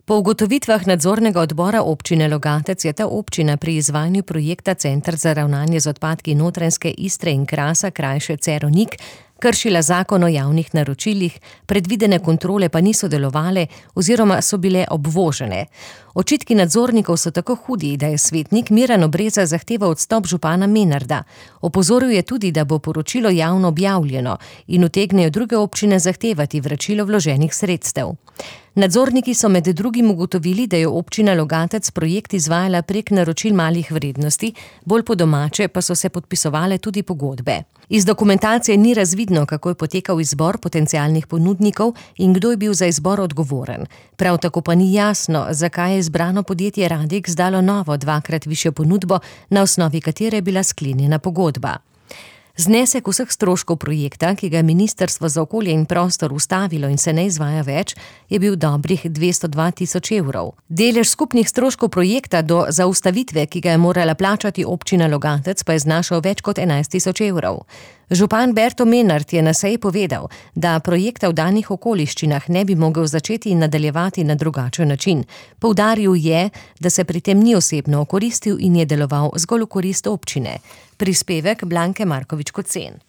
Po ugotovitvah nadzornega odbora občine Logatec je ta občina pri izvajanju projekta Center za ravnanje z odpadki Notranjske Istre in Krasa, krajše Cerovnik, kršila zakon o javnih naročilih, predvidene kontrole pa niso delovale oziroma so bile obvožene. Očitki nadzornikov so tako hudi, da je svetnik Miran Obreza zahteval odstop župana Menarda. Opozoril je tudi, da bo poročilo javno objavljeno in utegnejo druge občine zahtevati vračilo vloženih sredstev. Nadzorniki so med drugim ugotovili, da je občina Logatec projekt izvajala prek naročil malih vrednosti, bolj po domače pa so se podpisovale tudi pogodbe. Iz dokumentacije ni razvidno, kako je potekal izbor potencialnih ponudnikov in kdo je bil za izbor odgovoren. Prav tako pa ni jasno, zakaj je izbrano podjetje Radix dalo novo dvakrat višjo ponudbo, na osnovi katere je bila sklenjena pogodba. Znesek vseh stroškov projekta, ki ga je Ministrstvo za okolje in prostor ustavilo in se ne izvaja več, je bil dobrih 202 tisoč evrov. Delež skupnih stroškov projekta do zaustavitve, ki ga je morala plačati občina Logatec, pa je znašal več kot 11 tisoč evrov. Župan Berto Menard je na seji povedal, da projekta v danih okoliščinah ne bi mogel začeti in nadaljevati na drugačen način. Poudaril je, da se pri tem ni osebno okoristil in je deloval zgolj v korist občine. Prispevek Blanke Markovič Kocen.